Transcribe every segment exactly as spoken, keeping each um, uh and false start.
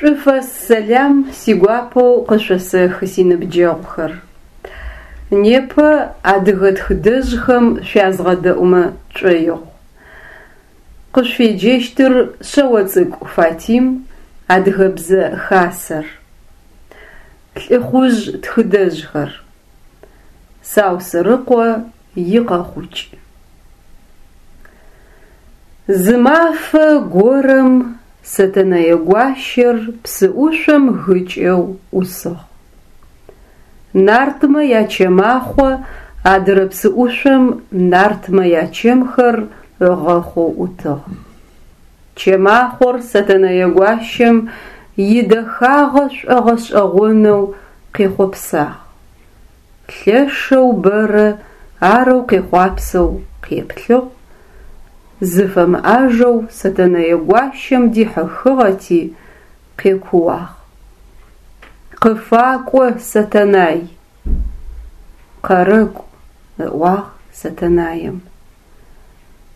Шӏуфэс сэлам сигуапэу къышъосэхы синыбджэгъухэр. Непэ адыгэ тхыдэжъхэм шъуязгъэдэӏумэ тшӏоигъу. Къышъуфеджэщтыр Шъэоцӏыкӏу Фатим, Адыгэбзэ Хасэр. Лӏыхъужъ тхыдэжъхэр. Саусырыкъо икъэхъукӏ. Зы мафэ горэм Сэтэнэе гуащэр псыӏушъом гыкӏэу ӏусыгъ. Нартмэ ячэмахъо адырэ псыӏушъом нартмэ ячэмхэр ыгъэхъоу ӏутыгъ. Чэмахъор Сэтэнэе гуащэм идэхагъэ шӏогъэшӏэгъонэу къехъопсагъ. Лъэшэу бэрэ арэу къехъуапсэу къеплъыгъ, зыфэмыӏажэу Сэтэнэе гуащэм дихьыхыгъэти къекууагъ: «Къыфакӏо, Сэтэнай!» «Къэрэкӏу», ыӏуагъ Сэтэнаем.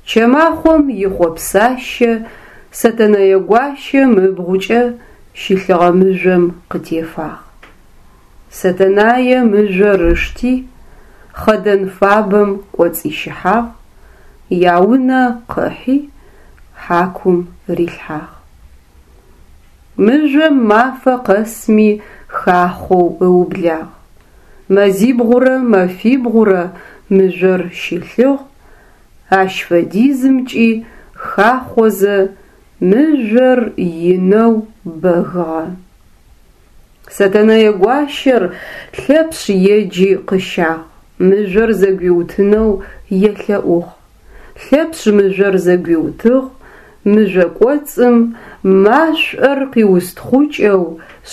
Чэмахъом ихъопсащэ Сэтэнэе гуащэм ыбгъукӏэ щылъыгъэ мыжъом къытефагъ. Сэтэнае мыжъор ышти, хъэдэн фабэм кӏоцӏищыхьагъ, яунэ къыхьи, хьакум рилъхьагъ. Мыжъом мафэ къэсми хахъоу ыублагъ. Мэзибгъурэ мэфибгъурэ мыжъор щылъыгъ, ащ фэдизымкӏи хахъозэ мыжъор инэу бэгыгъэ. Сэтэнэе гуащэр Лъэпшъ еджи къыщагъ, мыжъор зэгуиутынэу елъэӏугъ. Лъэпшъ мыжъор зэгуиутыгъ, мыжъо кӏоцӏым машӏор къиустхъукӏэу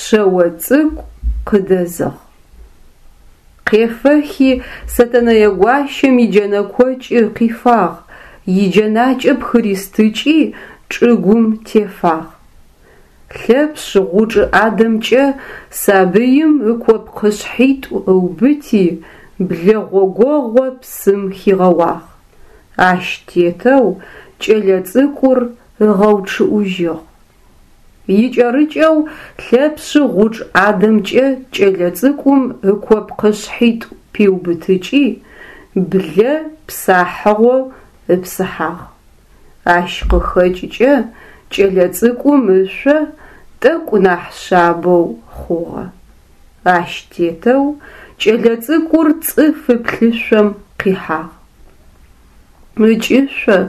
шъэо цӏыкӏу къыдэзыгъ. Къефэхи Сэтэнэе гуащэм иджэнэкокӏы къифагъ, иджэнакӏэ пхыристыкӏи чӏыгум тефагъ. Лъэпшъ гъучӏ ӏадэмкӏэ сабыим ыкопкъышъхьитӏу ыубыти, блэгъогогъо псым хигъэуагъ. Ащ тетэу кӏэлэцӏыкӏур ыгъэучъыӏужьыгъ. Икӏэрыкӏэу Лъэпшъ гъучӏ ӏадэмкӏэ кӏэлэцӏыкӏум ыкопкъышъхьитӏу пиубытыкӏи, блэ псахьыгъо ыпсыхьагъ. Ащ къыхэкӏыкӏэ кӏэлэцӏыкӏум ышъо тӏэкӏу нахь шъабэу хъугъэ. Ащ тетэу кӏэлэцӏыкӏур цӏыфы плъышъом къихьагъ. Ыкӏышъо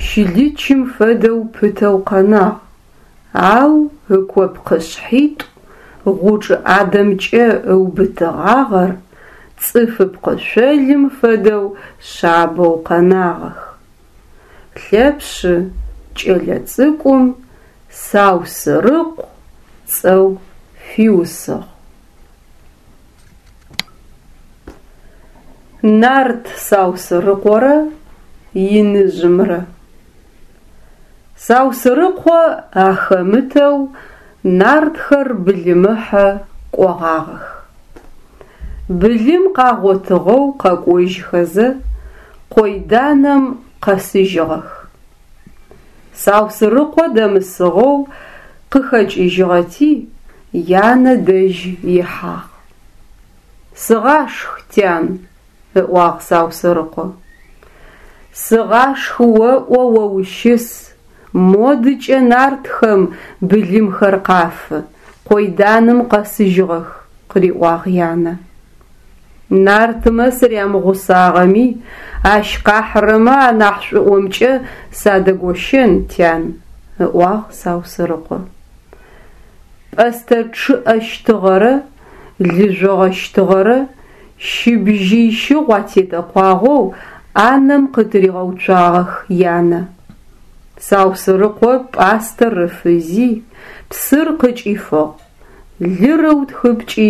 щылычым фэдэу пытэу къэнагъ, ау ыкопкъышъхьитӏу гъучӏ ӏадэмкӏэ ыубытыгъагъэр цӏыфы пкъышъолым фэдэу шъабэу къэнагъэх. Лъэпшъ кӏэлэцӏыкӏум Саусырыкъу цӏэу фиусыгъ. Нарт Саусырыкъорэ иныжъымрэ. Саусырыкъо ахэмытэу нартхэр былымыхьэ кӏогъагъэх. Былым къагъотыгъэу къэкӏожьхэзэ къойданэм къэсыжьыгъэх. Саусырыкъо дэмысыгъэу къыхэкӏыжьыгъэти янэ дэжь ихьагъ. «Сыгъашх, тян», ыӏуагъ Саусырыкъо. «Сыгъашх оӏо о ущыс, модыкӏэ нартхэм былымхэр къафы, къойданым къэсыжьыгъэх», къыриӏуагъ янэ. Нартмэ сырямыгъусагъэми, ащ къахьырэмэ анахь шӏуӏомкӏэ садэгощэн, тян, ыӏуагъ Саусырыкъо. Пӏэстэ чъыӏэщтыгъэрэ лы жъогъэщтыгъэрэ щыбжьый щыгъу атетэкъуагъэу ӏанэм къытыригъэуцуагъэх янэ. Саусырыкъо пӏастэр ыфызи, псыр къыкӏифыгъ, лыр ыутхыпкӏи,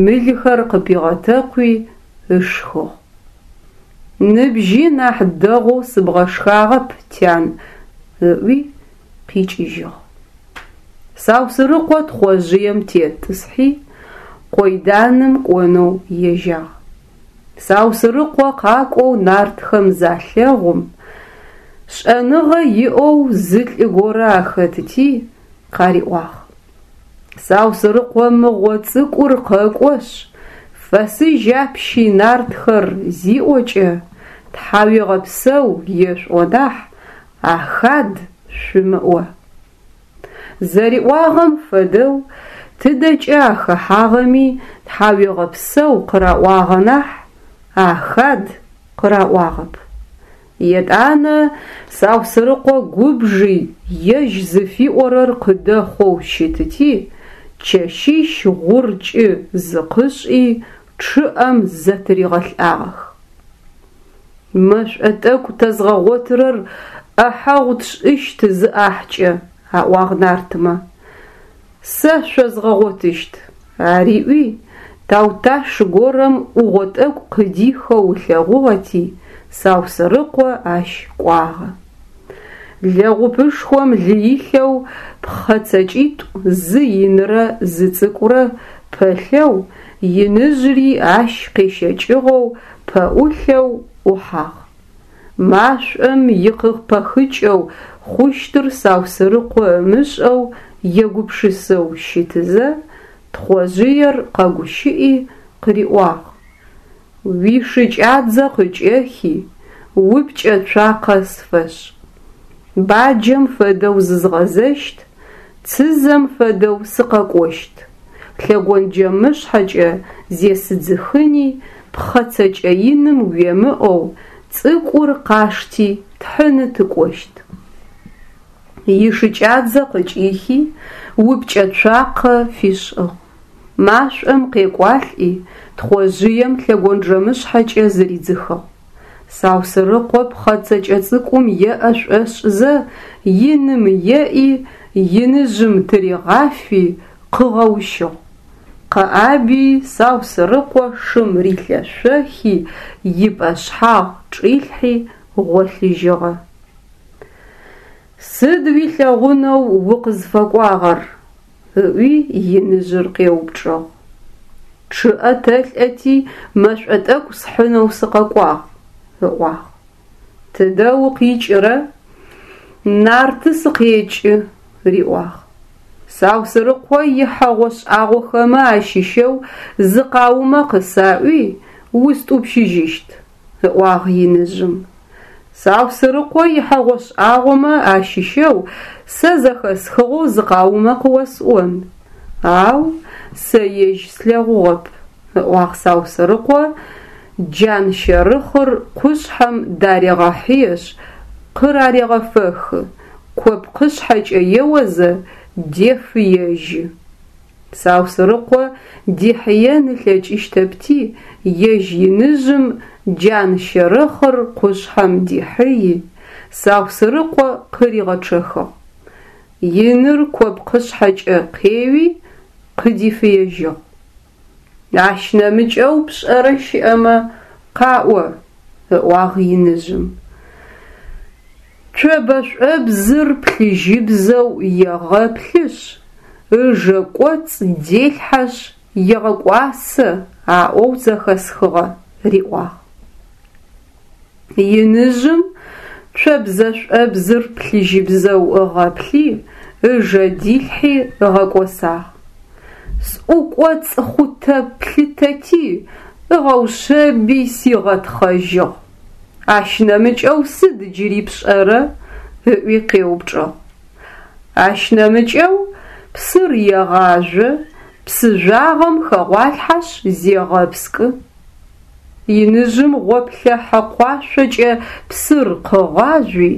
мылхэр къыпигъэтэкъуи ышхыгъ. Ныбжьи нахь дэгъоу сыбгъэшхагъэп, тян, ыӏуи къикӏыжьыгъ. Саусырыкъо тхъожъыем тетӏысхьи, къойданым кӏонэу ежьагъ. Саусырыкъо къакӏоу нартхэм залъэгъум, шӏэныгъэ иӏэу зы лӏы горэ ахэтыти къариӏуагъ: Саусырыкъо мыгъо цӏыкӏур къэкӏошъ, «Фэсыжь апщи, нартхэр!» зиӏокӏэ, тхьауегъэпсэу ешъуӏо нахь, «Ахад!» шъумыӏо. Зэриӏуагъэм фэдэу тыдэкӏэ ахэхьагъэми тхьауегъэпсэу къыраӏуагъэ нахь, «Ахад!» къыраӏуагъэп. Етӏанэ Саусырыкъо губжи ежь зыфиӏорэр къыдэхъоу щытыти, чэщищ гъуркӏы зыкъышӏи чъыӏэм зэтыригъэлӏагъэх. Мэшӏо тӏэкӏу тэзгъэгъотырэр ӏэхьэгъу тшӏыщт зы ӏахькӏэ, аӏуагъ нартмэ. Сэ шъозгъэгъотыщт, ариӏуи, тауташ горэм ӏугъо тӏэкӏу къыдихэу ылъэгъугъэти, Саусырыкъо ащ кӏуагъэ. Лэгъупышхом лы илъэу пхъэ цэкӏитӏу зы инырэ зы цӏыкӏурэ пэлъэу, иныжъри ащ къещэкӏыгъэу пэӏулъэу ӏухьагъ. Машӏом икъыпэхыкӏэу хъущтыр Саусырыкъо ымышӏэу егупшысэу щытызэ, Тхъожъыер къэгущыӏи къыриӏуагъ: «Уишыкӏадзэ къыкӏэхи, упкӏэ цуакъэ сфэшӏ. Баджэм фэдэу зызгъэзэщт, цызэм фэдэу сыкъэкӏощт. Лъэгонджэмышъхьэкӏэ зесыдзыхыни, пхъэ цэкӏэ иным уемыӏэу, цӏыкӏур къашти тхьыны тыкӏощт». Ишыкӏадзэ къыкӏихи, упкӏэ цуакъэ фишӏыгъ. Машӏом къекӏуалӏи, Тхъожъыем лъэгонджэмышъхьэкӏэ зыридзыхыгъ. Саусырыкъо пхъэ цэкӏэ цӏыкӏум еӏэ шӏошӏызэ, иным еӏи, иныжъым тыригъафи, къыгъэущыгъ. Къэӏаби Саусырыкъо шым рилъэшъохи, ипӏэшъхьагъ чӏилъхьи гъолъыжьыгъэ. Сыд уилъэгъунэу укъызфэкӏуагъэр? ыӏуи иныжъыр къеупчӏыгъ. Чъыӏэ тэлӏэти мэшӏо тӏэкӏу схьынэу сыкъэкӏуагъ, ыӏуагъ. Тыдэ укъикӏырэ? Нарты сыкъекӏы, риӏуагъ. Саусырыкъо ихьэгъо шӏагъохэмэ ащыщэу зы къаумэ къысаӏуи, устӏупщыжьыщт, ыӏуагъ иныжъым. Саусырыкъо ихьэгъо шӏагъомэ ащыщэу сэ зэхэсхыгъэу зы къаумэ къыосӏон, ау сэ ежь слъэгъугъэп, ыӏуагъ Саусырыкъо джан щэрыхъыр къушъхьэм дарегъэхьыешъ, къырарегъэфэхы, копкъышъхьэкӏэ еозэ, дефыежьы. Саусырыкъо дихьыен ылъэкӏыщтэпти, ежь иныжъым джан щэрыхъыр къушъхьэм дихьыи, Саусырыкъо къыригъэчъэхыгъ. Иныр копкъышъхьэкӏэ къеуи, къыдифыежьыгъ. Ащ нэмыкӏэу пшӏэрэ щыӏэмэ, къаӏо, ыӏуагъ иныжъым. Цобэшӏобзыр плъыжьыбзэу егъэплъышъ, ыжэ кӏоцӏ делъхьэшъ егъэкӏуасэ аӏоу зэхэсхыгъэ, риӏуагъ. Иныжъым цобзэшӏобзыр плъыжьыбзэу ыгъэплъи, ыжэ дилъхьи ыгъэкӏосагъ. Сӏукӏоцӏ хъутэ плъытэти, ыгъэушъэби сигъэтхъэжьыгъ. Ащ нэмыкӏэу сыд джыри пшӏэрэ? Ыӏуи къеупчӏыгъ. Ащ нэмыкӏэу псыр егъажъо, псы жъуагъэм хэгъуалъхьэшъ зегъэпскӏы. Иныжъым гъоплъэ хьэкъуашъокӏэ псыр къыгъажъуи,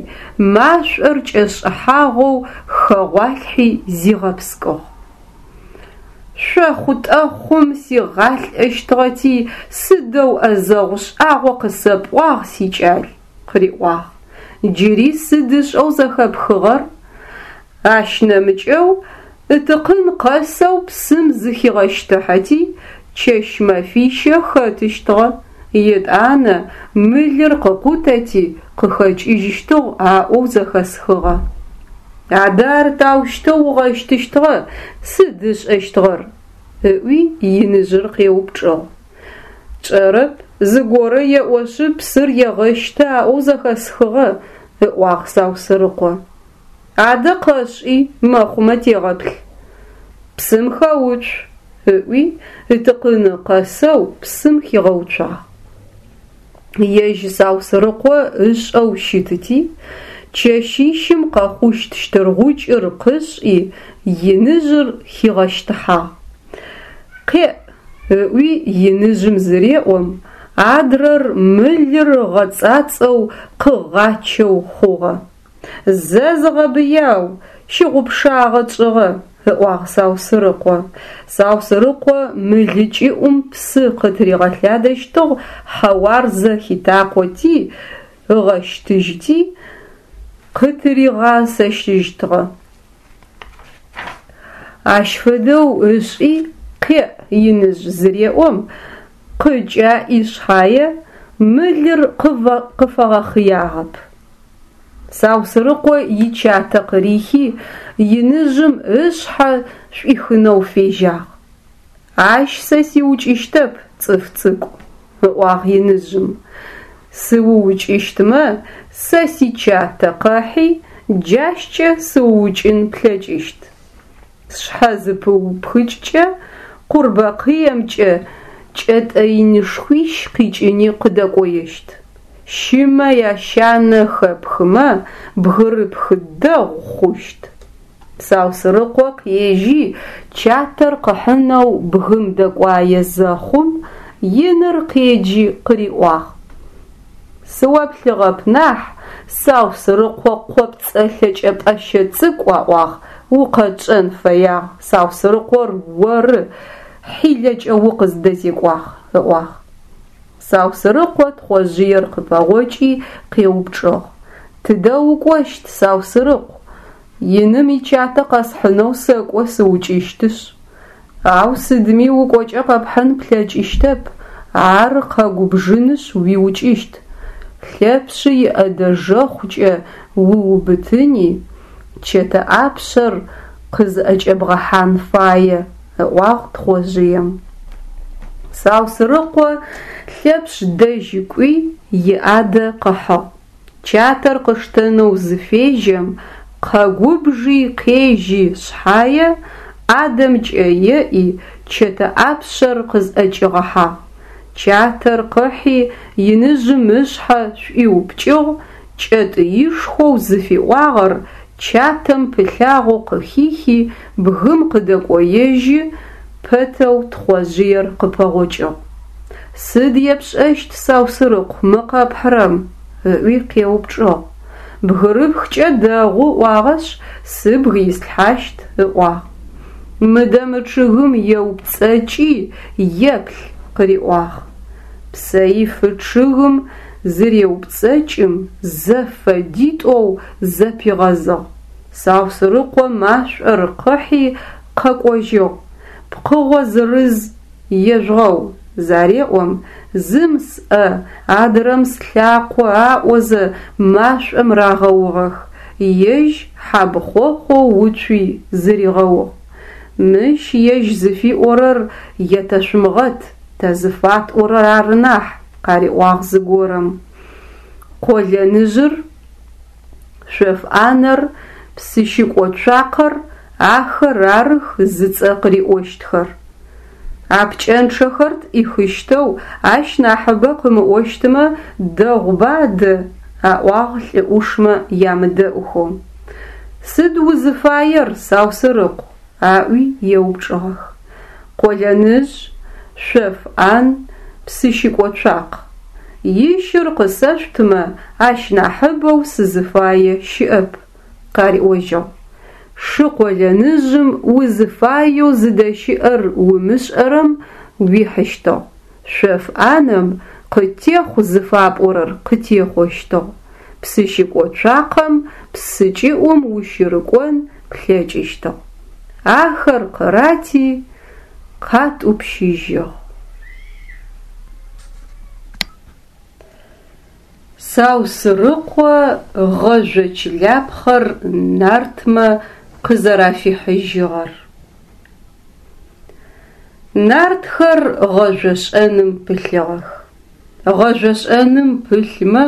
машӏор кӏэшӏыхьагъэу хэгъуалъхьи зигъэпскӏыгъ. Шъохъутӏэхъум сигъалӏэщтыгъэти, сыдэу ӏэзэгъу шӏагъо къысэпӏуагъ, сикӏал, къыриӏуагъ. Джыри сыд ышӏэу зэхэпхыгъэр? Ащ нэмыкӏэу ытыкъын къэсэу псым зыхигъэщтыхьэти, чэщ мэфищэ хэтыщтыгъэ, етӏанэ мылыр къыкъутэти къыхэкӏыжьыщтыгъ аӏоу зэхэсхыгъэ. Адэ ар таущтэу ыгъэщтыщтыгъэ, сыд ышӏэщтыгъэр? Ыӏуи иныжъыр къеупчӏыгъ. Чӏэрэп, зыгорэ еӏошъы псыр егъэщты аӏоу зэхэсхыгъэ, ыӏуагъ Саусырыкъо. Адэ къэшӏи, мэхъумэ тегъэплъ. Псым хэуцу, ыӏуи ытыкъыны къэсэу псым хигъэуцуагъ. Ежь Саусырыкъо ышӏэу щытыти, чэщищым къэхъущт щтыргъукӏыр къышӏи, иныжъыр хигъэщтыхьагъ. Къеӏ, ыӏуи иныжъым зыреӏом, адрэр мылыр ыгъэцӏацӏэу къыгъачэу хъугъэ. Зэ зыгъэбыяу, щыгъупшагъэ тшӏыгъэ, ыӏуагъ Саусырыкъо. Саусырыкъо мылы кӏыӏум псы къытыригъэлъадэщтыгъ, хьэуарзэ хитакъоти, ыгъэщтыжьыти, къытыригъасэжьыщтыгъэ. Ащ фэдэу ышӏи, къеӏ иныжъ зыреӏом, къыкӏаӏи шъхьае, мылыр къыфэгъэхъыягъэп. Саусырыкъо ичатэ къырихи, иныжъым ышъхьэ шӏуихынэу фежьагъ. Ащ сэ сиукӏыщтэп, цӏыф цӏыкӏу, ыӏуагъ иныжъым. Сыуукӏыщтмэ, сэ сичатэ къэхьи, джащкӏэ сыуукӏын плъэкӏыщт. Сшъхьэ зыпыупхыкӏкӏэ, къурбакъыемкӏэ кӏэтӏэ инышхуищ къикӏыни къыдэкӏоещт. Щымэ ящанэ хэпхымэ, бгырыпх дэгъу хъущт. Саусырыкъо къежьи чатэр къыхьынэу бгым дэкӏуае зэхъум, иныр къеджи къыриӏуагъ: Сыоплъыгъэп нахь, Саусырыкъо къопцӏэ лъэкӏэпӏэщэ цӏыкӏу аӏуагъ, укъэтшӏэн фэягъ, Саусырыкъор оры, хьилэкӏэ укъыздэзекӏуагъ, ыӏуагъ. Саусырыкъо Тхъожъыер къыпэгъокӏи къеупчӏыгъ: Тыдэ укӏощт, Саусырыкъу? Иным ичатэ къэсхьынэу сэкӏо сыукӏыщтышъ. Ау сыдми укӏокӏэ къэпхьын плъэкӏыщтэп, ар къэгубжынышъ уиукӏыщт. Лъэпшъы иӏэдэжэхъукӏэ уубытыни, чэтэ ӏапшъэр къызӏэкӏэбгъэхьан фае, ыӏуагъ Тхъожъыем. Саусырыкъо Лъэпшъ дэжь кӏуи иӏадэ къыхьыгъ. Чатэр къыштэнэу зыфежьэм, къэгубжи къежьи шъхьае, ӏадэмкӏэ еӏи, чэтэ ӏапшъэр къызӏэкӏигъэхьагъ. Чатэр къыхьи иныжъым ышъхьэ шӏуиупкӏыгъ, кӏэтӏыишхоу зыфиӏуагъэр чатэм пылъагъэу къыхихи, бгым къыдэкӏоежьы пэтэу Тхъожъыер къыпэгъокӏыгъ. Сыд епшӏэщт, Саусырыкъу, мы къэпхьырэм? Ыӏуи къеупчӏыгъ. Бгырыпхкӏэ дэгъу ыӏуагъэшъ, сыбг ислъхьащт, ыӏуагъ. Мыдэ мы чъыгым еупцӏэкӏи еплъ, къыриӏуагъ. Псэифы чъыгым зыреупцӏэкӏым, зэфэдитӏоу зэпигъэзыгъ. Саусырыкъо машӏор къыхьи къэкӏожьыгъ. Пкъыгъо зырыз ежъугъэу зареӏом, зым сӏэ, адрэм слъакъо аӏозэ машӏом рагъэугъэх, ежь хьабхъохъоу уцуи зыригъэугъ. Мыщ ежь зыфиӏорэр етэшъумыгъэт, тэ зыфатӏорэр ары нахь, къариӏуагъ зыгорэм. Къолэныжъыр, шъоф ӏанэр, псыщыкӏо цуакъэр ахэр арых зыцӏэ къыриӏощтхэр. А пкӏэнчъэхэр тӏихыщтэу ащ нахьыбэ къымыӏощтмэ дэгъуба адэ, аӏуагъ лӏы ӏушмэ ямыдэӏухэу. Сыд узыфаер, Саусырыкъу? Аӏуи еупчӏыгъэх. Къолэныжъ, шъоф ӏан, псыщыкӏо цуакъ. Ищыр къысэшъутымэ, ащ нахьыбэу сызыфае щыӏэп, къариӏожьыгъ. Шы къолэныжъым узыфаеу зыдэщыӏэр умышӏэрэм уихьыщтыгъ. Шъоф ӏанэм къытехъу зыфапӏорэр къытехъощтыгъ. Псыщыкӏо цуакъэм псы кӏыӏум ущырыкӏон плъэкӏыщтыгъ. Ахэр къырати, къатӏупщыжьыгъ. Саусырыкъо гъэжъо чылапхъэр нартмэ къызэрафихьыжьыгъэр. Нартхэр гъэжъошӏэным пылъыгъэх. Гъэжъошӏэным пылъмэ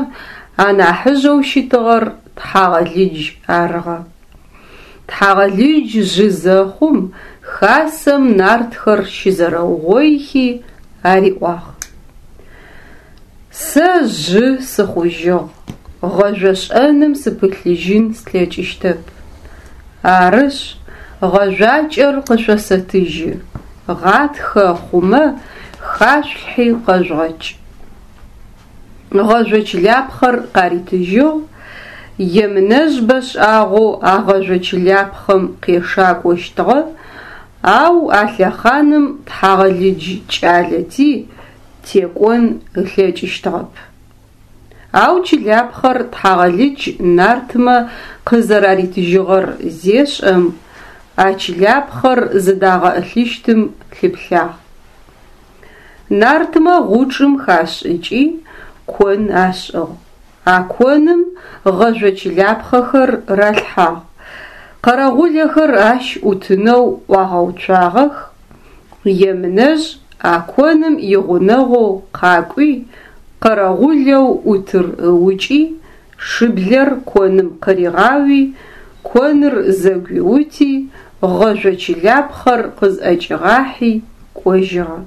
анахьыжъэу щытыгъэр Тхьагъэлыдж арыгъэ. Тхьагъэлыдж жъы зэхъум, Хасэм нартхэр щызэрэугъоихи ариӏуагъ: Сэ жъы сыхъужьыгъ, гъэжъошӏэным сыпылъыжьын слъэкӏыщтэп. Арышъ, гъэжъуакӏэр къышъосэтыжьы, гъатхэ хъумэ хашъулъхьи къэжъугъэкӏ. Гъэжъо чылапхъэр къаритыжьыгъ. Емынэжъ бэшӏагъэу а гъэжъо чылапхъэм къешакӏощтыгъэ, ау а лъэхъаным Тхьагъэлыдж кӏалэти текӏон ылъэкӏыщтыгъэп. Ау чылапхъэр Тхьагъэлыдж нартмэ къызэраритыжьыгъэр зешӏэм, а чылапхъэр зыдагъэӏылъыщтым лъыплъагъ. Нартмэ гъучӏым хашӏыкӏи кон ашӏыгъ. А коным гъэжъо чылапхъэхэр ралъхьагъ. Къэрэгъулэхэр ащ ӏутынэу ӏуагъэуцуагъэх. Емынэжъ а коным игъунэгъоу къакӏуи, къэрэгъулэу ӏутыр ыукӏи, шыблэр коным къыригъауи, коныр зэгуиути, гъэжъо чылапхъэр къызӏэкӏигъахьи кӏожьыгъэ.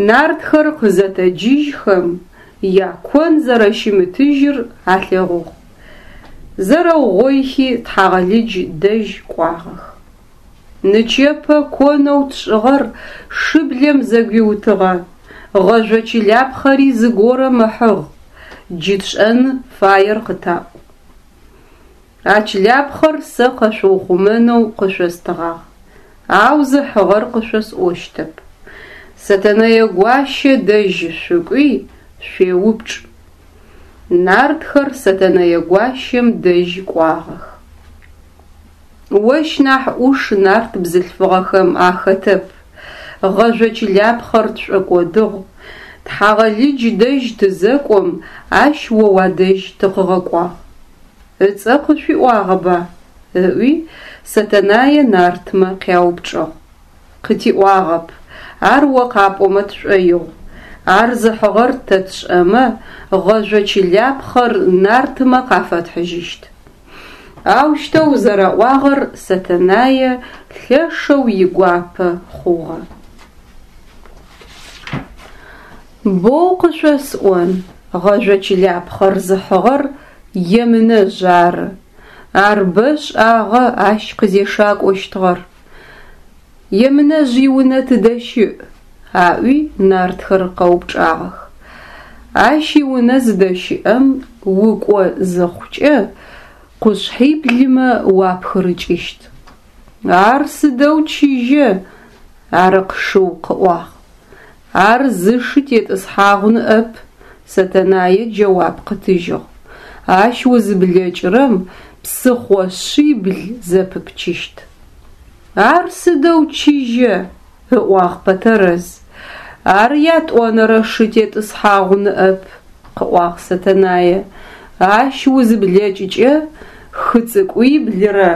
Нартхэр къызэтэджыжьхэм, якон зэрэщымытыжьыр алъэгъугъ. Зэрэугъоихи Тхьагъэлыдж дэжь кӏуагъэх. Нычэпэ конэу тшӏыгъэр шыблэм зэгуиутыгъэ, гъэжъо чылапхъэри зыгорэм ыхьыгъ, джы тшӏэн фаер къытаӏу. А чылапхъэр сэ къэшъуухъумэнэу къышъостыгъагъ, ау зыхьыгъэр къышъосӏощтэп. Сэтэнэе гуащэ дэжь шъукӏуи шъуеупчӏ. Нартхэр Сэтэнэе гуащэм дэжь кӏуагъэх. Ощ нахь ӏуш нарт бзылъфыгъэхэм ахэтэп. Гъэжъо чылапхъэр тшӏокӏодыгъ. Тхьагъэлыдж дэжь тызэкӏом, ащ о уадэжь тыкъыгъэкӏуагъ. Ыцӏэ къышъуиӏуагъэба? Ыӏуи Сэтэнае нартмэ къяупчӏыгъ. Къытиӏуагъэп, ар о къапӏомэ тшӏоигъу. Ар зыхьыгъэр тэ тшӏэмэ, гъэжъо чылапхъэр нартмэ къафэтхьыжьыщт. Аущтэу зэраӏуагъэр Сэтэнае лъэшэу игуапэ хъугъэ. Боу къышъосӏон, гъэжъо чылапхъэр зыхьыгъэр Емынэжъ ары. Ар бэ шӏагъэ ащ къызешакӏощтыгъэр. Емынэжъ иунэ тыдэ щыӏ? Аӏуи нартхэр къэупчӏагъэх. Ащ иунэ зыдэщыӏэм укӏо зыхъукӏэ къушъхьиблымэ уапхырыкӏыщт. Ар сыдэу чыжьэ, Арыкъ шыу къыӏуагъ. Ар зы шы тетӏысхьагъу ныӏэп, Сэтэнае джэуап къытыжьыгъ. Ащ узыблэкӏырэм псыхъо шъибл зэпыпчыщт. Ар сыдэу чыжьэ, ыӏуагъ Пэтэрэз. Ар ятӏонэрэ шы тетӏысхьагъу ныӏэп, къыӏуагъ Сэтэнае. Ащ узыблэкӏыкӏэ хы цӏыкӏуиблырэ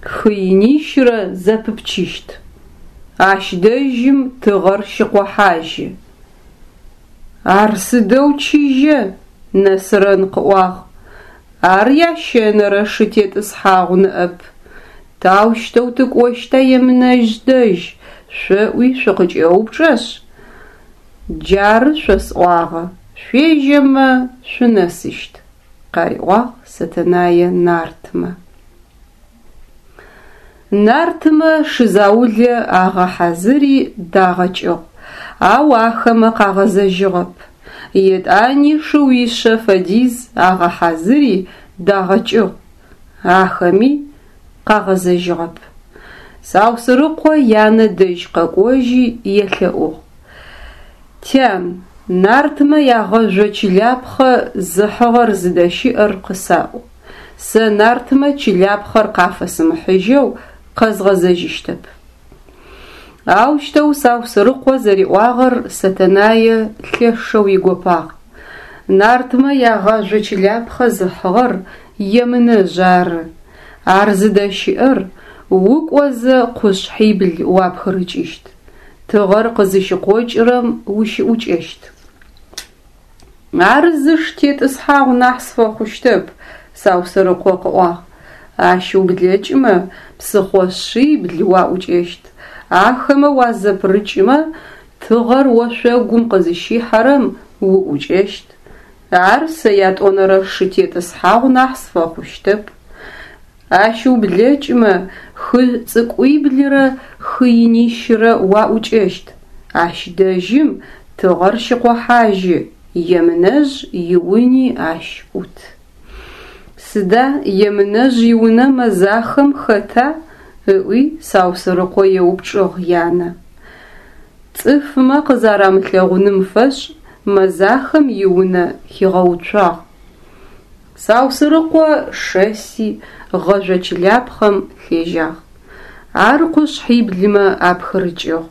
хы инищрэ зэпыпчыщт. Ащ дэжьым тыгъэр щыкъохьажьы. Ар сыдэу чыжьэ, Нэсрэн къыӏуагъ. Ар ящэнэрэ шы тетӏысхьагъу ныӏэп. Таущтэу тыкӏощта Емынэжъ дэжь, шъоӏуи шъукъыкӏэупчӏэшъ, джары шъосӏуагъэ, шъуежьэмэ шъунэсыщт, къариӏуагъ Сэтэнае нартмэ. Нартмэ шы заулэ агъэхьазыри дагъэкӏыгъ, ау ахэмэ къагъэзэжьыгъэп. Етӏани шыуишъэ фэдиз агъэхьазыри дагъэкӏыгъ, ахэми къагъэзэжьыгъэп. Саусырыкъо янэ дэжь къэкӏожьи елъэӏугъ: Тян, нартмэ ягъэжъо чылапхъэ зыхьыгъэр зыдэщыӏэр къысаӏу. Сэ нартмэ чылапхъэр къафэсымыхьыжьэу къэзгъэзэжьыщтэп. Аущтэу Саусырыкъо зэриӏуагъэр Сэтэнае лъэшэу игопагъ. Нартмэ ягъэжъо чылапхъэ зыхьыгъэр Емынэжъ ары. Ар зыдэщыӏэр укӏозэ къушъхьибл уапхырыкӏыщт. Тыгъэр къызыщыкъокӏырэм ущыӏукӏэщт. Ар зы шы тетӏысхьагъу нахь сфэхъущтэп, Саусырыкъо къыӏуагъ. Ащ ублэкӏымэ, псыхъо шъибл уаӏукӏэщт. Ахэмэ уазэпырыкӏымэ, тыгъэр ошъогум къызыщихьэрэм уӏукӏэщт. Ар сэ ятӏонэрэ шы тетӏысхьагъу нахь сфэхъущтэп. Ащ ублэкӏымэ, хы цӏыкӏуиблырэ хы инищырэ уаӏукӏэщт. Ащ дэжьым тыгъэр щыкъохьажьы, Емынэжъ иуни ащ ӏут. Сыда Емынэжъ иунэ мэзахэм хэта? ыӏуи Саусырыкъо еупчӏыгъ янэ. Цӏыфмэ къызэрамылъэгъуным фэшӏ мэзахэм иунэ хигъэуцуагъ. Саусырыкъо шэси гъэжъо чылапхъэм лъежьагъ. Ар къушъхьиблымэ апхырыкӏыгъ,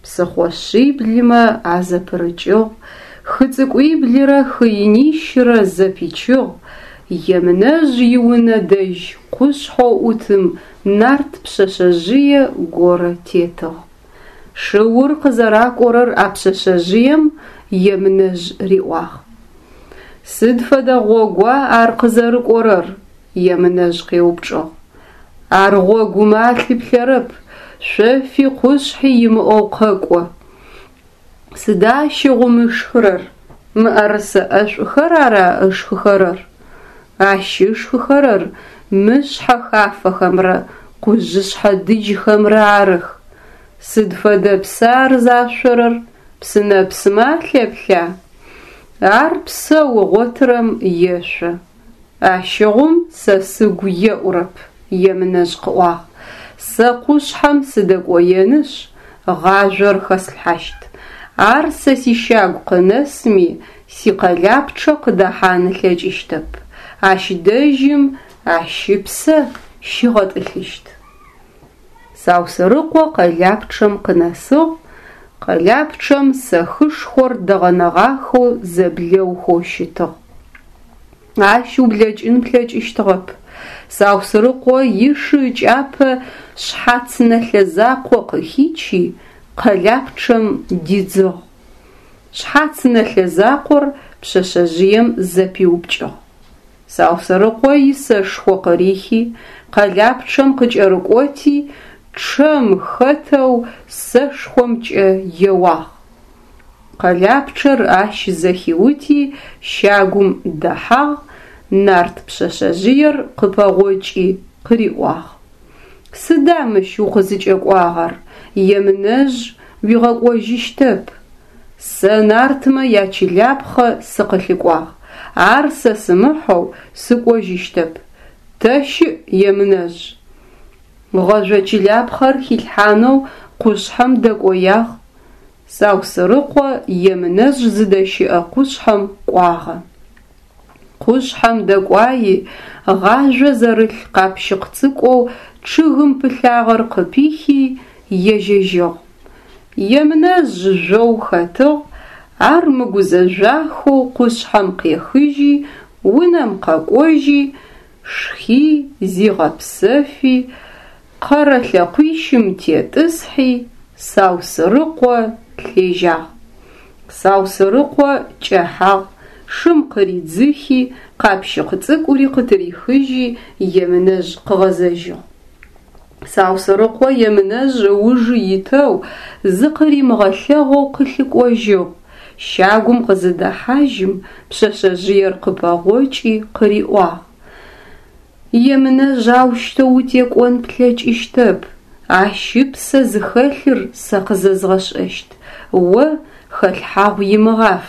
псыхъо шъиблымэ азэпырыкӏыгъ, хы цӏыкӏуиблырэ хы инищырэ зэпичыгъ, Емынэжъ иунэ дэжь къушъхьэу ӏутым нарт пшъэшъэжъые горэ тетыгъ. Шыур къызэракӏорэр а пшъэшъэжъыем Емынэжъ риӏуагъ. Сыд фэдэ гъогуа ар къызэрыкӏорэр? Емынэжъ къеупчӏыгъ. Ар гъогумэ алъыплъэрэп, шъофи къушъхьи имыӏэу къэкӏо. Сыда ащыгъум ышхырэр? Мыӏэрысэ ӏэшӏухэр ара ышхыхэрэр? Ащ ышхыхэрэр мышъхьэ хафэхэмрэ къужъышъхьэ дыджхэмрэ арых. Сыд фэдэ пса ар зашъорэр? Псынэпсымэ алъэплъа? Ар псэу ыгъотырэм ешъо. Ащыгъум сэ сыгу еӏурэп, Емынэжъ къыӏуагъ. Сэ къушъхьэм сыдэкӏоенышъ, гъажъор хэслъхьащт. Ар сэ сищагу къынэсми, сикъэлапчъэ къыдэхьан ылъэкӏыщтэп. Ащ дэжьым ащ ыпсэ щигъэтӏылъыщт. Саусырыкъо къэлапчъэм къынэсыгъ. Къэлапчъэм сэхышхор дэгъэнэгъахэу зэблэухэу щытыгъ. Ащ ублэкӏын плъэкӏыщтыгъэп. Саусырыкъо ишы ыкӏапэ шъхьац нэлъэ закъо къыхичи, къэлапчъэм дидзыгъ. Шъхьац нэлъэ закъор пшъэшъэжъыем зэпиупкӏыгъ. Саусырыкъо исэшхо къырихи, къэлапчъэм къыкӏэрыкӏоти, чъэм хэтэу сэшхомкӏэ еуагъ. Къэлапчъэр ащ зэхиути, щагум дэхьагъ, нарт пшъэшъэжъыер къыпэгъокӏи къыриӏуагъ: Сыда мыщ укъызыкӏэкӏуагъэр? Емынэжъ уигъэкӏожьыщтэп. Сэ нартмэ ячылапхъэ сыкъылъыкӏуагъ. Ар сэ сымыхьэу сыкӏожьыщтэп. Тэ щыӏ Емынэжъ? Гъэжъо чылапхъэр хилъхьанэу къушъхьэм дэкӏоягъ. Саусырыкъо Емынэжъ зыдэщыӏэ къушъхьэм кӏуагъэ. Къушъхьэм дэкӏуайи, гъажъо зэрылъ къапщыкъ цӏыкӏоу чъыгым пылъагъэр къыпихи, ежьэжьыгъ. Емынэжъ жъоу хэтыгъ, ар мыгузэжъуахэу къушъхьэм къехыжьи, унэм къэкӏожьи, шхи, зигъэпсэфи, къэрэ лъэкъуищым тетӏысхьи, Саусырыкъо лъежьагъ. Саусырыкъо кӏэхьагъ, шым къыридзыхи, къапщыкъ цӏыкӏури къытырихыжьи, Емынэжъ къыгъэзэжьыгъ. Саусырыкъо Емынэжъ ыуж итэу зыкъыримыгъэлъэгъоу къылъыкӏожьыгъ. Щагум къызыдэхьажьым, пшъэшъэжъыер къыпэгъокӏи къыриӏуагъ: Емынэжъ аущтэу утекӏон плъэкӏыщтэп. Ащ ыпсэ зыхэлъыр сэ къызэзгъэшӏэщт, о хэлъхьагъу имыгъаф.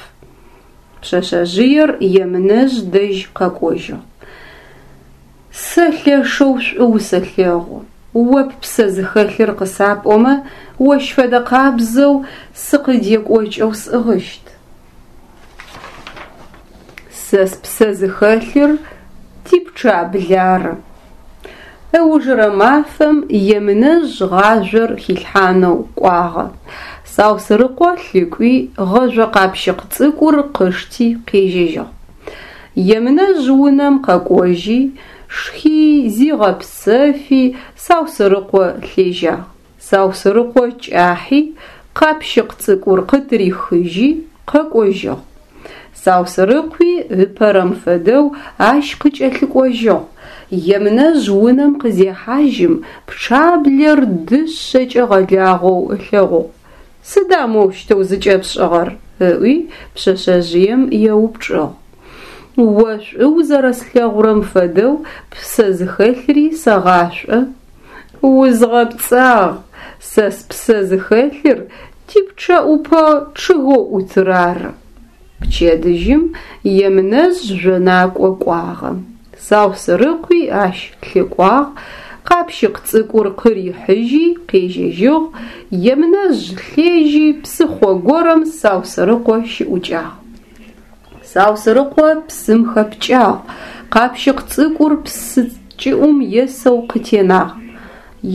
Пшъэшъэжъыер Емынэжъ дэжь къэкӏожьыгъ. Сэ лъэшэу шӏу усэлъэгъу. О ппсэ зыхэлъыр къысапӏомэ, ощ фэдэ къабзэу сыкъыдекӏокӏэу сӏыгъыщт. Сэ спсэ зыхэлъыр типчъаблэ ары. Ыужырэ мафэм Емынэжъ гъажъор хилъхьанэу кӏуагъэ. Саусырыкъо лъыкӏуи гъэжъо къапщыкъ цӏыкӏур къышти къежьэжьыгъ. Емынэжъ унэм къэкӏожьи, шхи, зигъэпсэфи, Саусырыкъо лъежьагъ. Саусырыкъо кӏахьи, къапщыкъ цӏыкӏур къытырихыжьи, къэкӏожьыгъ. Саусэрыкъуи ыпэрэм фэдэу ащ къыкӏэлъыкӏожьыгъ. Емынэжъ унэм къызехьажьым пчъаблэр дышъэкӏэ гъэлагъэу ылъэгъугъ. Сыда моущтэу зыкӏэпшӏыгъэр? ыӏуи пшъэшъэжъыем еупчӏыгъ. О шӏу узэрэслъэгъурэм фэдэу ппсэ зыхэлъри сэгъашӏо. Узгъэпцӏагъ, сэ спсэ зыхэлъыр типчъэӏупэ чъыгэу ӏутыр ары. Пчэдыжьым Емынэжъ жъонакӏо кӏуагъэ. Саусэрыкъуи ащ лъыкӏуагъ, къапщыкъ цӏыкӏур къырихьыжьи къежьэжьыгъ, Емынэжъ лъежьи псыхъо горэм Саусэрыкъо щыӏукӏагъ. Саусэрыкъо псым хэпкӏагъ, къапщыкъ цӏыкӏур псы кӏыӏум есэу къытенагъ.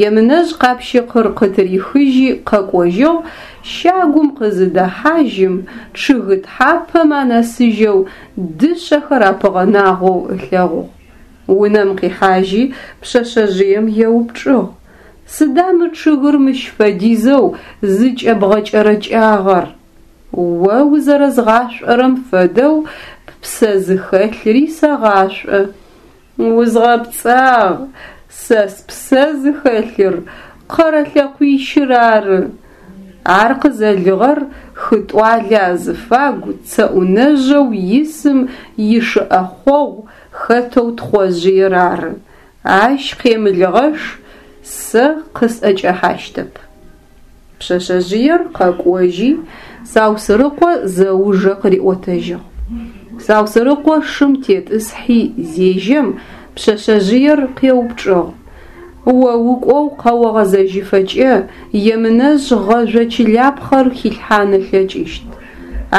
Емынэжъ къапщыкъыр къытырихыжьи къэкӏожьыгъ, щагум къызыдэхьажьым чъыгы тхьапэм анэсыжьэу дышъэхэр апыгъэнагъэу ылъэгъугъ. Унэм къихьажьи пшъэшъэжъыем еупчӏыгъ: Сыда мы чъыгыр мыщ фэдизэу зыкӏэбгъэкӏэрэкӏагъэр? О узэрэзгъашӏорэм фэдэу ппсэ зыхэлъри сэгъашӏо. Узгъэпцӏагъ, сэ спсэ зыхэлъыр къэрэ лъэкъуищыр ары. Ар къызэлыгъэр хы тӏуалэ азыфагу цэӏунэжъэу исым ишы ӏэхъогъу хэтэу Тхъожъыер ары. Ащ къемылыгъэш сэ къысӏэкӏэхьащтэп. Пшъэшъэжъыер къэкӏожьи Саусэрыкъо зэужэ къыриӏотэжьыгъ. Саусэрыкъо шым тетӏысхьи зежьэм пшъэшъэжъыер къеупчӏыгъ: О укӏоу къэогъэзэжьыфэкӏэ Емынэжъ гъэжъо чылапхъэр хилъхьан ылъэкӏыщт.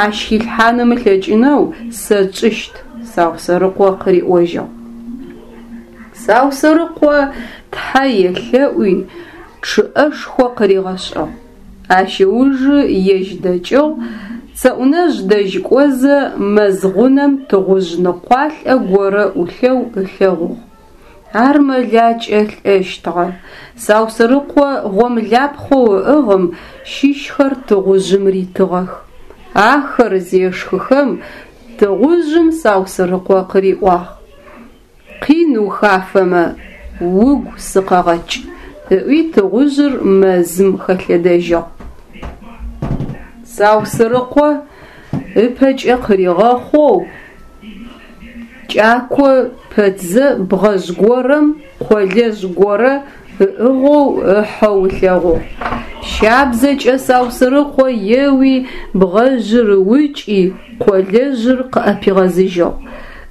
Ащ хилъхьан ымылъэкӏынэу сэ тшӏыщт, Саусэрыкъо къыриӏожьыгъ. Саусэрыкъо тхьэ елъэӏуи чъыӏэшхо къыригъэшӏыгъ. Ащ ыужы ежь дэкӏыгъ, цэӏунэжъ дэжь кӏозэ мэз гъунэм тыгъужъ ныкъуалӏэ горэ ӏулъэу ылъэгъугъ. Ар мэлакӏэ лӏэщтыгъэ. Саусэрыкъо гъомлапхъэу ыӏыгъым щыщхэр тыгъужъым ритыгъэх. Ахэр зешхыхэм тыгъужъым Саусэрыкъо къыриӏуагъ: Къин ухафэмэ, угу сыкъэгъэкӏ, ыӏуи тыгъужъыр мэзым хэлъэдэжьыгъ. Саусэрыкъо ыпэкӏэ къыригъэхъоу кӏако пэтзэ бгъэжъ горэм къолэжъ горэ ыӏыгъэу ыхьэу ылъэгъугъ. Щабзэкӏэ Саусэрыкъо еуи бгъэжъыр ыукӏи къолэжъыр къыӏэпигъэзыжьыгъ.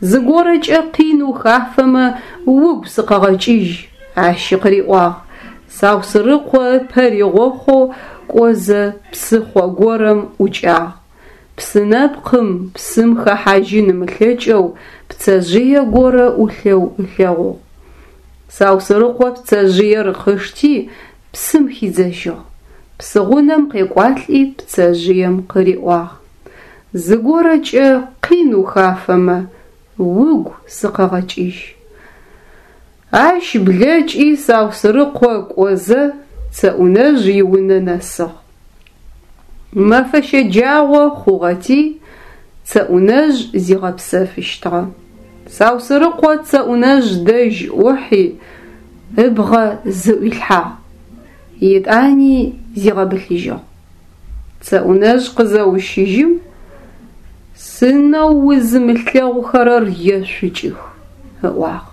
Зыгорэкӏэ къин ухафэмэ угу сыкъэгъэкӏыжь, ащи къыриӏуагъ. Саусэрыкъо ыпэ ригъохъоу кӏозэ псыхъо горэм ӏукӏагъ. Псы нэпкъым псым хэхьажьын ымылъэкӏэу пцэжъые горэ ӏулъэу ылъэгъугъ. Саусэрыкъо пцэжъыер къышти псым хидзэжьыгъ. Псыгъунэм къекӏуалӏи пцэжъыем къыриӏуагъ: Зыгорэкӏэ къин ухафэмэ, угу сыкъэгъэкӏыжь. Ащ блэкӏи Саусэрыкъо кӏозэ цэӏунэжъ иунэ нэсыгъ. Мэфэ щэджагъо хъугъэти цэӏунэжъ зигъэпсэфыщтыгъэ. Саусэрыкъо цэӏунэжъ дэжь ӏухьи ыбгъэ зыӏуилъхьагъ. Етӏани зигъэбылъыжьыгъ. Цэӏунэжъ къызэущыжьым сынэу узымылъэгъухэрэр ешъукӏых, ыӏуагъ.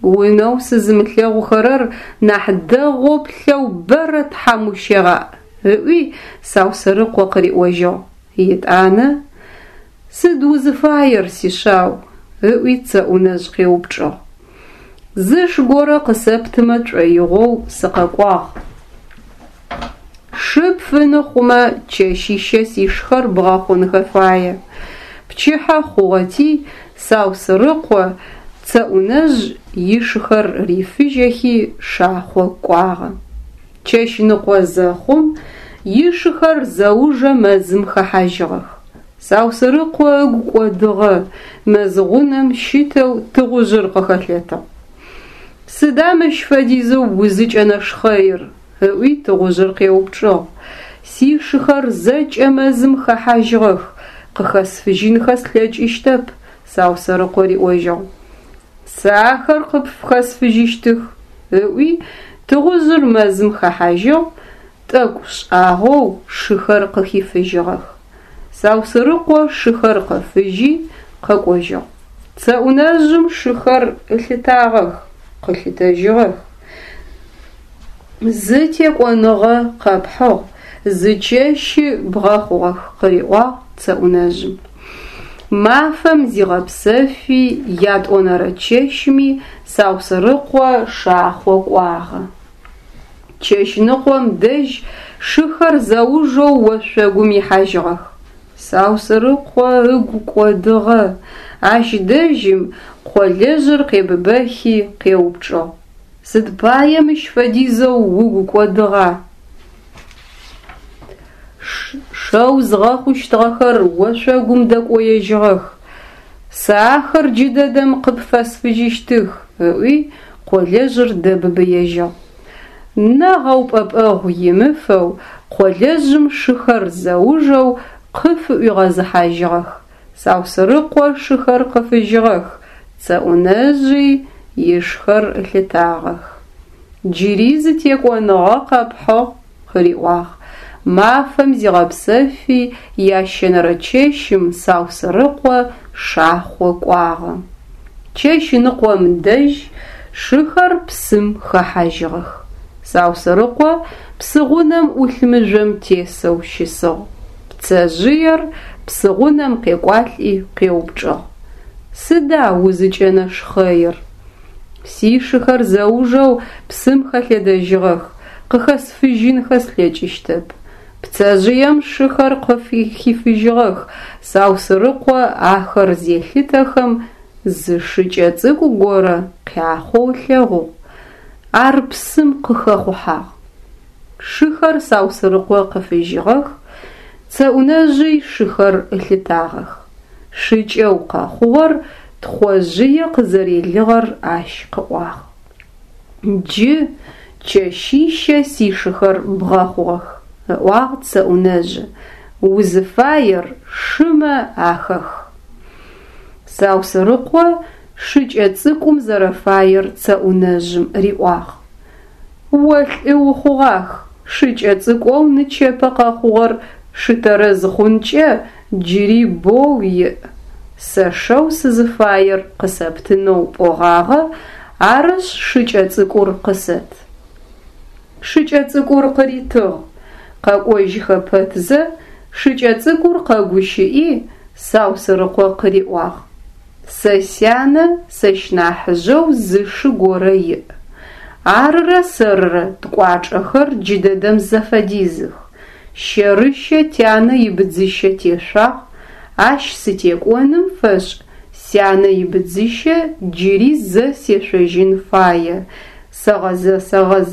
Унэу сызымылъэгъухэрэр нахь дэгъоу плъэу бэрэ тхьам ущегъаӏ, ыӏуи Саусэрыкъо къыриӏожьыгъ. Етӏанэ сыд узыфаер, сишъау, ыӏуи цэӏунэжъ къеупчӏыгъ. Зы ш горэ къысэптымэ шӏоигъоу сыкъэкӏуагъ. Шы пфыны хъумэ чэщищэ сишхэр бгъэхъунхэ фае. Пчыхьэ хъугъэти Саусэрыкъо цэӏунэжъ ишыхэр рифыжьэхи шахъо кӏуагъэ. Чэщ ныкъо зэхъум ишыхэр зэужэ мэзым хэхьажьыгъэх. Саусэрыкъо ыгу кӏодыгъэ, мэз гъунэм щытэу тыгъужъыр къыхэлъэтыгъ. Сыда мыщ фэдизэу узыкӏэнэшхъэир? Ыӏуи тыгъужъыр къеупчӏыгъ. Сишыхэр зэкӏэ мэзым хэхьажьыгъэх, къыхэсфыжьынхэ слъэкӏыщтэп, Саусэрыкъо риӏожьыгъ. Сэ ахэр къыпфхэсфыжьыщтых, ыӏуи тыгъужъыр мэзым хэхьажьыгъ, тӏэкӏу шӏагъэу шыхэр къыхифыжьыгъэх. Саусэрыкъо шыхэр къыфыжьи къэкӏожьыгъ. Цэӏунэжъым шыхэр ылъытагъэх, къылъытэжьыгъэх. Зы текӏоныгъэ къэпхьыгъ, зы чэщи бгъэхъугъэх, къыриӏуагъ цэӏунэжъым. Мафэм зигъэпсэфи ятӏонэрэ чэщми Саусэрыкъо шахъо кӏуагъэ. Чэщныкъом дэжь шыхэр зэужэу ошъогум ихьажьыгъэх. Саусэрыкъо ыгу кӏодыгъэ. Ащ дэжьым къолэжъыр къебыбэхи къеупчӏыгъ: Сыд пае мыщ фэдизэу угу кӏодыгъа? Шэу згъэхъущтыгъэхэр ошъогум дэкӏоежьыгъэх. Сэ ахэр джыдэдэм къыпфэсфыжьыщтых, ыӏуи къолэжъыр дэбыбыежьыгъ. Нэ гъэупӏэпӏэгъу имыфэу къолэжъым шыхэр зэужэу къыфыӏуигъэзыхьажьыгъэх. Саусэрыкъо шыхэр къыфыжьыгъэх, цэӏунэжъи ишхэр ылъытагъэх. Джыри зы текӏоныгъэ къэпхьыгъ, къыриӏуагъ. Мафэм зигъэпсэфи ящэнэрэ чэщым Саусэрыкъо шахъо кӏуагъэ. Чэщныкъом дэжь шыхэр псым хэхьажьыгъэх. Саусэрыкъо псыгъунэм ӏулъ мыжъом тесэу щысыгъ. Пцэжъыер псыгъунэм къекӏуалӏи къеупчӏыгъ: Сыда узыкӏэнэшхъэир? Сишыхэр зэужэу псым хэлъэдэжьыгъэх, къыхэсфыжьынхэ слъэкӏыщтэп. Пцэжъыем шыхэр къыфыхифыжьыгъэх. Саусэрыкъо ахэр зелъытэхэм зы шыкӏэ цӏыкӏу горэ къяхъоу ылъэгъугъ. Ар псым къыхэхъухьагъ. Шыхэр Саусэрыкъо къыфыжьыгъэх, цэӏунэжъый шыхэр ылъытагъэх. Шыкӏэу къэхъугъэр Тхъожъые къызэрелыгъэр ащ къыӏуагъ. Джы чэщищэ сишыхэр бгъэхъугъэх, ыӏуагъ цэӏунэжъы, узыфаер шымэ ахэх. Саусэрыкъо шыкӏэ цӏыкӏум зэрэфаер цэӏунэжъым риӏуагъ. О лӏы ухъугъах, шыкӏэ цӏыкӏоу нычэпэ къэхъугъэр шы тэрэз хъункӏэ джыри боу иӏ. Сэ шэу сызыфаер къысэптынэу пӏогъагъэ, арышъ шыкӏэ цӏыкӏур къысэт. Шыкӏэ цӏыкӏур къыритыгъ. Къэкӏожьхэ пэтзэ шыкӏэ цӏыкӏур къэгущыӏи Саусэрыкъо къыриӏуагъ: Сэ сянэ сэщ нахьыжъэу зы шы горэ иӏ. Арырэ сэрырэ ткӏуачӏэхэр джыдэдэм зэфэдизых. Щэрыщэ тянэ ибыдзыщэ тешъуагъ, ащ сытекӏоным фэшӏ сянэ ибыдзыщэ джыри зэ сешъожьын фае. Сэгъэзэ сэгъэз.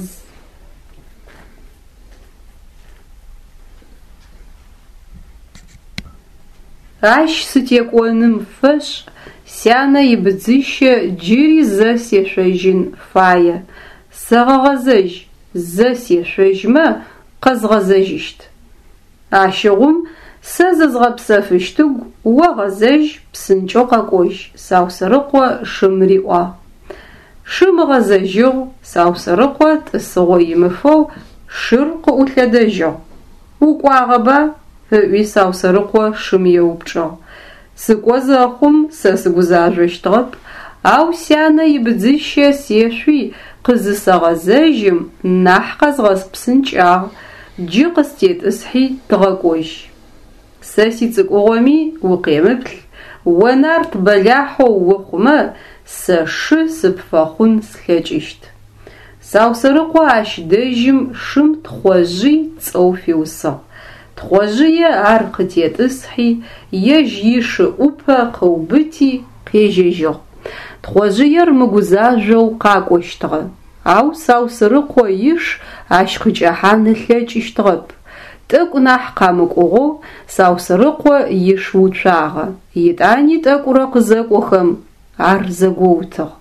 Ащ сытекӏоным фэшӏ сянэ ибыдзыщэ джыри зэ сешъожьын фае. Сэгъэгъэзэжь, зэ сешъожьмэ къэзгъэзэжьыщт. Ащыгъум сэ зызгъэпсэфыщтыгу, о гъэзэжь, псынкӏэу къэкӏожь, Саусэрыкъо шым риӏуагъ. Шым ыгъэзэжьыгъ, Саусэрыкъо тӏысыгъо имыфэу шыр къыӏулъэдэжьыгъ. Укӏуагъэба? Ыӏуи Саусэрыкъо шым еупчӏыгъ. Сыкӏо зэхъум сэ сыгузажъощтыгъэп, ау сянэ ибыдзыщэ сешъуи къызысэгъэзэжьым нахь къэзгъэпсынкӏагъ, джы къыстетӏысхьи тыгъэкӏожь. Сэ сицӏыкӏугъоми укъемыплъ, о нарт бэлахьэу ухъумэ сэ шы сыпфэхъун слъэкӏыщт. Саусэрыкъо ащ дэжьым шым Тхъожъый цӏэу фиусыгъ. Тхъожъые ар къытетӏысхьи, ежь ишы ӏупэ къыубыти къежьэжьыгъ. Тхъожъыер мыгузажъоу къакӏощтыгъэ, ау Саусэрыкъо иш ащ къыкӏэхьан ылъэкӏыщтыгъэп. Тӏэкӏу нахь къамыкӏугъэу Саусэрыкъо иш уцуагъэ, етӏани тӏэкӏурэ къызэкӏохэм ар зэгоутыгъ.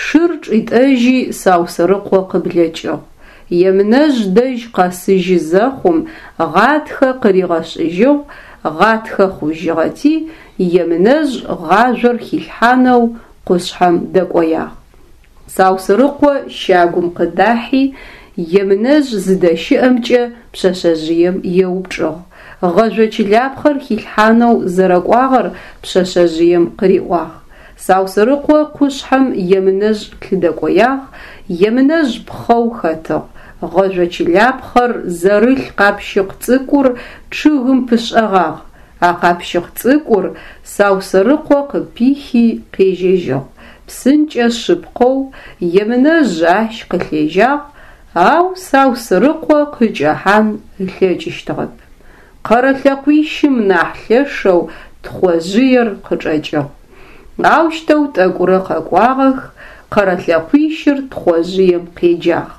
Шыр чӏитӏэжьи Саусэрыкъо къыблэкӏыгъ. Емынэжъ дэжь къэсыжьы зэхъум гъатхэ къыригъэшӏыжьыгъ, Гъатхэ хъужьыгъэти, Емынэжъ гъажъор хилъхьанэу къушъхьэм дэкӏоягъ. Саусырыкъо щагум къыдахьи, Емынэжъ зыдэщыӏэмкӏэ пшъэшъэжъыем еупчӏыгъ. Гъэжъо чылапхъэр хилъхьанэу зэрэкӏуагъэр пшъэшъэжъыем къыриӏуагъ. Саусырыкъо къушъхьэм Емынэжъ лъыдэкӏоягъ, Емынэжъ пхъэу хэтыгъ. Гъэжъо чылапхъэр зэрылъ къапщыкъ цӏыкӏур чъыгым пышӏэгъагъ. А къапщыкъ цӏыкӏур Саусырыкъо къыпихи къежьэжьыгъ. Псынкӏэ шъыпкъэу Емынэжъ ащ къылъежьагъ, ау Саусырыкъо къыкӏэхьан ылъэкӏыщтыгъэп. Къэрэ лъэкъуищым нахь лъэшэу Тхъожъыер къычӏэкӏыгъ. Аущтэу тӏэкӏурэ къэкӏуагъэх, къэрэ лъэкъуищыр Тхъожъыем къеджагъ: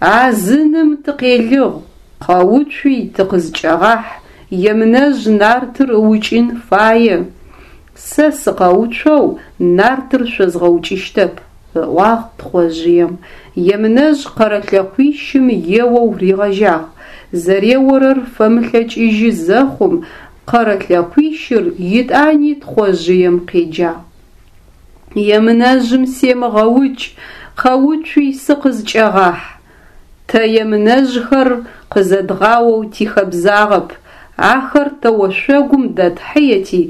«А зыным тыкъелыгъ, къэуцуи тыкъызкӏэгъахь, Емынэжъ нартыр ыукӏын фае!» «Сэ сыкъэуцоу нартыр шъозгъэукӏыщтэп», – ыӏуагъ Тхъожъыем. Емынэжъ къэрэ лъэкъуищым еоу ригъэжьагъ. Зэреорэр фэмылъэкӏыжьы зэхъум, къэрэ лъэкъуищыр етӏани Тхъожъыем къеджагъ: «Емынэжъым семыгъэукӏ, къэуцуи сыкъызкӏэгъахь! Тэ емынэжъхэр къызэдгъаоу тихэбзагъэп, ахэр тэ ошъогум дэтхьыети